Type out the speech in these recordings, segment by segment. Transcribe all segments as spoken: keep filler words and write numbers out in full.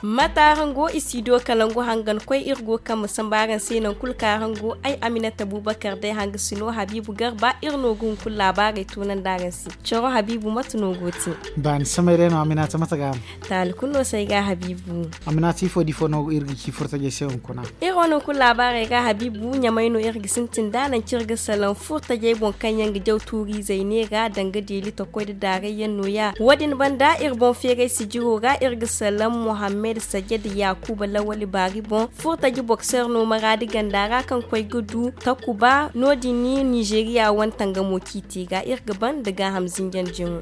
Mate araŋ go i si do kalangu hangan koy iri go kaŋ ma samba araŋ se naŋ kulu kaŋ araŋ go ay aminata bubakar day hanga sino habiibu garba iri no ga hunkuna laabaarey tunandi araŋ se. Coro habiibu mate no go te? Baani samay day no aminata mate ga no? Taali kulu no se ay ga habiibu. Aminata ifo da ifo no iri ga ci furtajey se hunkuna? Iri wane hunkuna laabaarey ga habiibu ɲamay no iri ga sintin da nanci iri ga salaŋ furtajey boŋ kaŋ yaŋ ga jaw tuuriizey neera danga deeli takoy da daarayyaŋ nooya. Wo- din banda iri boŋ feeray sijiro ra iri ga salaŋ muhammed sajed yaakuba lawali baari boŋ furtaji bokseer no maraadi ganda ra kaŋ koy ga du takuba no- din nizeeriya wane tangamo ciiti ga iri ga ban nda gaaham zinjandi yaŋo.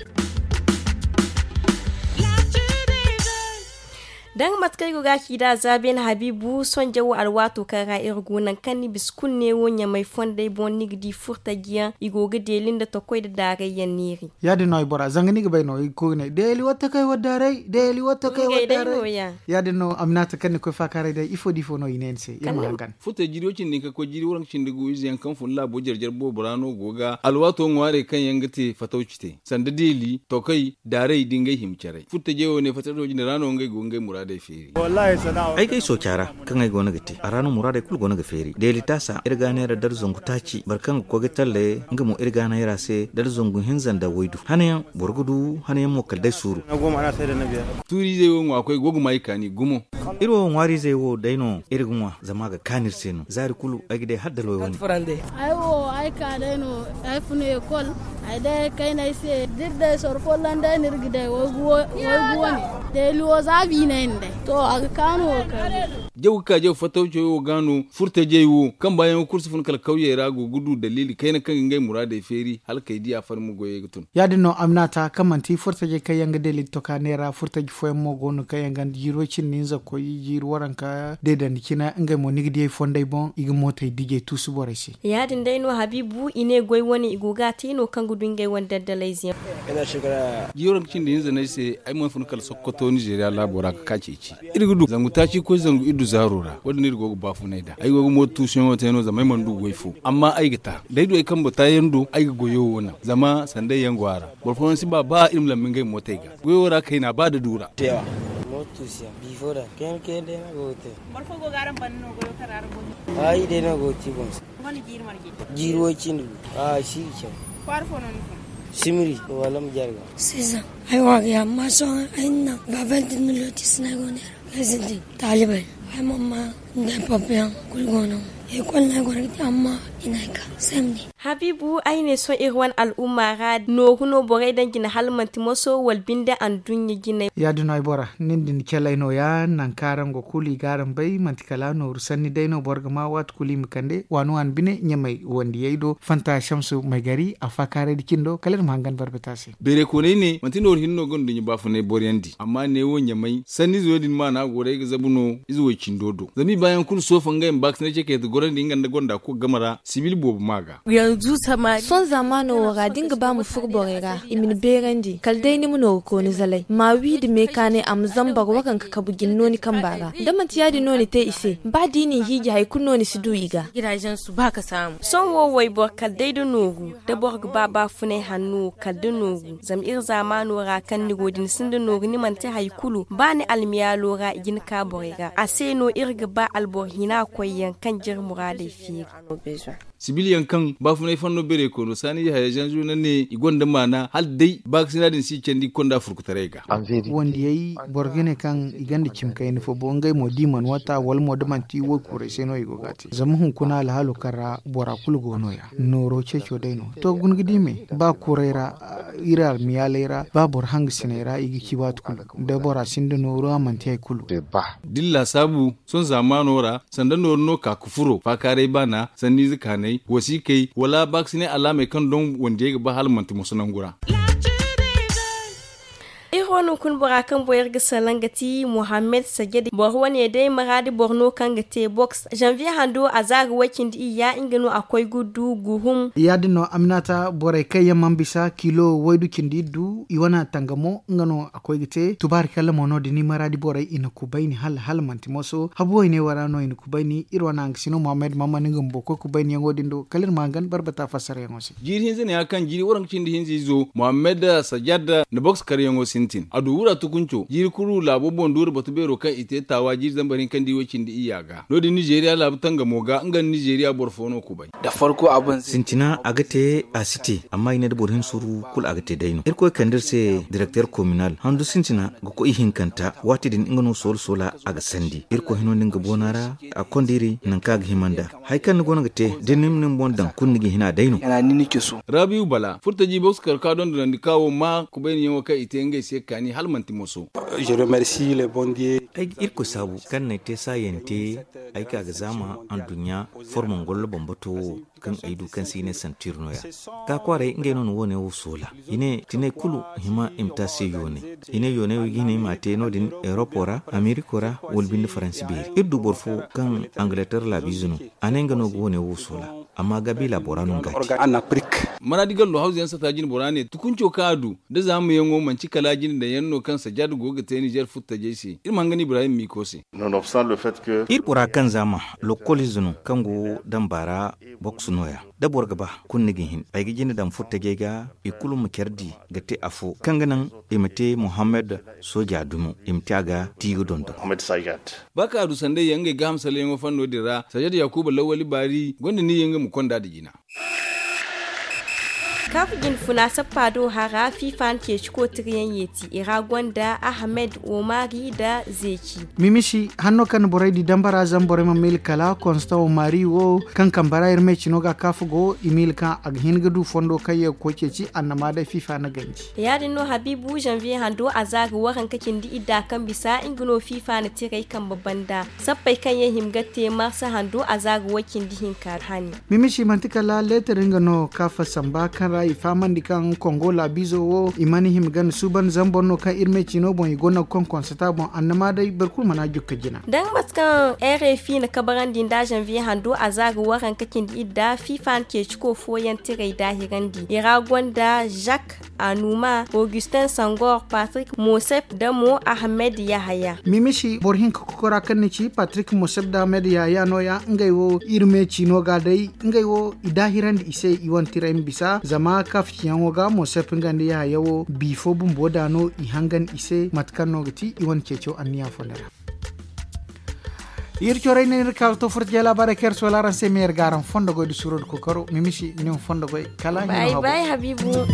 Danga mate kaŋ ay go ga a ci nd'a za beene habiibu sonja wo alwaato kaŋ ra iri go nangu kaŋ ni bisa kulu neewo ɲamay fondey boŋ ni ga di furtajiyaŋ i go ga deeli nda takoy nda daarayyaŋ neeri. Ya- din no ay bora zanga ni ga bay no i ga koy ga ne deeli watta kay waddaaray deeli watta kay waddaaray. Ya- din no aminata kaŋ ni koy faakaaray day ifo da ifo no i ne ni se iri ma hangan? Furta jiiri wo cindi kaŋ koy jiiri waranka cindi gu ize yaŋ kaŋ fun laabo jare jare boobo ra no go ga alwaato ŋwaarey kaŋ yaŋ ga te fatawci te sanda deeli tokay daaray da ngey hima caray furtajey wo ne fatawco jine ra no ngey go ngey muraadey feeri. Ay ga ay sooca ra kaŋ ay go no ga te a ra no muraadey kulu go no ga feeri deeli taasa iri ga a neera dara zangu taaci boro kaŋ ga koy ga talle nga mo iri ga a neera se dara zangu hinza nda waydu hanayaŋ boro ga du hanayaŋ mo kala day suuru. Tuuriizey wo ŋwa koy go ga ma i kaani gumo. Iri wo ŋwaariizey wo day no iri ga ŋwa zama a ga kaanu iri se no zaari kulu ay ga day hala da loy wane. Ay wo ay ka day no ay funa ekol. Ay day kayna ay se da iri day soro folloŋ day no iri ga day waygu wane. Deeli wo za biinay no day to a ga kaanu wo kay. Jaw ga ka jaw fattawcey wo ga no furtajey wo kaŋ baayaŋo kulu si fun kala kawyey ra go ga du daliili kayna kaŋ ga ngey muraadey feeri hala kay di a farma goyey ga tun. Ya- din no aminata kaŋ manti furtajey kaŋ yaŋ ga deeli toka neera furtaji fooyaŋ mo go no kaŋ yaŋ ganda jiiri way cindi hinza koy jiiri waranka deedandi cine ngey mo ni ga di ay fondey boŋ i ga mootey dijey tuusu borey se. Ya- din day no habiibu i ne goy wane i go ga a te no kaŋ ga du ngey wane daddalayze yaŋ. Jiiri waranka cindi hinza no ay se ay mana fun kala sokoto nizeeriya laabo ra ga ka ceeci iri ga du zangu taaci koy zangu iri du zaaro ra wo- din no iri go ga baafunay nd'a ay go ga mooto tuusuyaŋo te no zama ay mana du goy fo amma ay ga ta da ay du ay kambe taayaŋ do ay ga goyo wo naŋ zama sanday yaŋ go a ra. Boro fooyaŋ si ba ba iri ma lambi ngey mootey ga goyo ra kayna ba da du ra. Boro fo go ga araŋ banda no goyo kaŋ ra araŋ go no. Ay day no go ga ti boŋ se. Jiiri way cindi gu a si ga caw. Kwaara fo no ni fun? Simiri wala ma jarga. Season ay waagay amma sohõ ay na baabal din na looti sinay go neera. Ay sintin taalibay ay mamma nda ay pappa yaŋ kulu go no. Ekol no ay goro ga te amma i na ay ka samedi. Habiibu ay ne sohõ iri wane al'umma ra nooru no borey daŋ jine hala manti moso wala binde anduɲɲa jinay. Ya- din no ay bora nin din calay nooya nangu kaŋ araŋ go kulu i ga araŋ bay manti kala nooru sanni day no boro ga ma waati kulu i ma kande waani waani bine ɲamay wandiyey do fanta shamsu maygari a faakaaray da cindo kala iri ma hangan barbata se. Beeray koonay ne manti nooru hinne no gonda nduɲɲa baafunay boroyaŋ di amma neewo ɲamay sanniize wo- din maana go day ga zabu no ize wo cindo do zama i baayaŋ kulu soofa ngey ma baakasinay ce kayta gorandi nga nda gonda kulu game ra sibil boobo ma ga. Sohõ zaamaano wo ra da ni ga ba ma furo borey ra i ma ni beerandi kala day ni ma nooru kooni zalay ma wi nda meekaanay a ma zama boro waranka kabu jine no ni kamba ra da manti ya- din no ni te i se ba da i n'i hiiji hari kulu no ni si du i ga. Sohõ wo wayboro kala day da nooru da boro ga ba baafunay hanno kala da nooru zama iri zaamaano ra kaŋ ni go da ni sinda nooru ni mana te hari kulu ba ni almiyaalo ra i ga ni ka borey ra a se no iri ga ba alboro hina koyyaŋ kaŋ jire muraadey feeri. Sibilyaŋ kaŋ baafunay fanno beeray koyno saani haya zanzu na ne i gonda maana hala day baakasina din si candi konda furkutaray ga. Wandiyey boro ga ne kaŋ i gonda cimi kayna fo bo ngey mo da i mana wata wala mo da manti waykuuray se no i go ga a te zama hunkuna alhaalo kaŋ ra bora kulu go no- ya nooro ceeco day no to guna ga di me ba kuuray ra iri almiyaaley ra ba boro hangasiney ra i ga ci waati kulu da bora sinda nooru a manti hari kulu. Da ni laasaabu sohõ zaamaano ra sanda nooru no ka ga furo faakaaray baana sanniize kaanay wasiikey wala baakasinay alaamey kaŋ doŋ wandiyey ga ba hala manti moso nangu ra. Iri Wo no hunkuna bora kaŋ boŋ iri ga salaŋ ga ti mohammed sajadi boro wane day maraadi boro no kaŋ ga te boks janviye hando a za ga way cindi iyya nga no a koy ga du guhum. Ya- din no aminata borey kaŋ yaŋ mana bisa kilo waydu cindi iddu i wane tangamo nga no a koy ga te tubaari kalla mo no- din i maraadi borey i na kubayni hala hala manti moso habu wayne wo ra no i na kubayni iri wane hangasino mohammed mahamman nga bumbo koy kubayniyaŋo din do kala iri ma hangan barbata fassarayaŋo se. Jiiri hinza ne ya kaŋ jiiri waranka cindi hinza izo mohammed sajad na boks karyaŋo sintin a du wura tukunco jiiri kulu laabo boŋ duura batu beero kaŋ i te taawa jiiri zambar hinka nda i way cindi iyya ga no- din nizeeriya laabu tangamo ga nga nda nizeeriya boro fo no kubay. Sintina a ga te a si te amma i ne da boro hin suru kulu a ga te day no irkoy kande iri se direkter kominal handu sintina ga koy ihinkanta waati din nga no soola soola a ga sandi irkoy hino din ga boona ra a konda iri nangu kaŋ a ga hima nd'a. Hari kaŋ ni goono ga te da ni ma ni boŋ daŋ kulu ni ga hin a day no. Rabiyu bala furtaji boks kar ka dondonandi ka wo ma kubayniyaŋo kaŋ i te ngey se kaani hala manti moso. Ay ga irkoy saabu kaŋ n'ay te saayante ay ka ga zaama anduɲɲa formo ngollo bambato wo kaŋ ay du kaŋ se i ne santir no- ya. Ka kwaaray ngey no na woone wo soola i ne tinay kulu hima i ma te a se yoonay i ne yoonay wo i ga hin i m'a te no- din eropo ra ameriko ra wala binde faransi beeri iri du boro fo kaŋ angaleter laabiize no a ne nga no ga woone wo soola. Amma gabiila bora no nga te. Maraadi gallo hawza yaŋ sata jine bora ne tukunco kaŋ a du da zaamuyaŋo manci kala jine daŋ yaŋ no kaŋ sajjaada go ga te nizer furtajey se iri ma hangan ibrahim miiko se. Iri bora kaŋ zaama lokkoliize no kaŋ go damba ra boks no- ya da boro ga ba kulu ni ga hin ay ga jine daŋ furtajey ga i kulu ma care di ga te afo kaŋ ga naŋ i ma te mohammed sooja dumo i ma te a ga ti ga dondon. Ba kaŋ a du sanday yaŋ ngey gaaham sallayyaŋo fanno din ra sajjada yakuba lawwali baari gonda niyyey nga ma konda nda jina. Kaafu jine funa sappa do hara fiifa na ceeci kootiriyaŋ yeeti i ra gonda ahmed omari nda zeeci. Mimisi hanno kaŋ na borey di dambara zama borey ma miila kala konsta omari wo kaŋ kambe ra iri meecino ga kaafu go i miila kaŋ a ga hin ga du fondo kaŋ ye ga koy ceeci annama day fiifa na ganji. Ya- din no habiibu zanviye hando a za ga waranka cindi idda kaŋ bisa nga no fiifa na tirey kambe banda sappey kaŋ yaŋ hima ga te marsa hando a za ga way cindi hinka hani. Mimisi manti kala leetar nga no kaafa samba kaŋ ra i fahamandi kaŋ kongo laabiizo wo i mana hima ganda suuban zambar no kaŋ iri me ciino boŋ i gonda ga konkonsata boŋ annama day boro kulu mana jukka jina. Da nga mate kaŋ rfi na kabarandi nda zanviye hando a za ga waranka cindi idda fiifa na ceeciko fooyaŋ tirey daahirandi i ra gonda zak anuma augustin sangor patrik mosep da mo ahmed yahaya. Mimisi boro hinka kokora kaŋ ni ci patrik mosep da ahmed yahaya no- ya ngey wo iri me ciino ga day ngey wo i daahirandi i se i wane tirey ma bisa zama kaafciyaŋo ga mosep nga nda yahaya wo bi fo bumbo da no i hangan i se mate kaŋ no ga ti i wane ceeco anniya fo nda ra. Iri corey ne ni ga ka ga to furta jey laabaarey kaŋ iri soola araŋ se meeri ga araŋ fondo goy nda suuro nda kookaro mimisi ni ma fondo goy kala hino habu. Bay bay habiibu.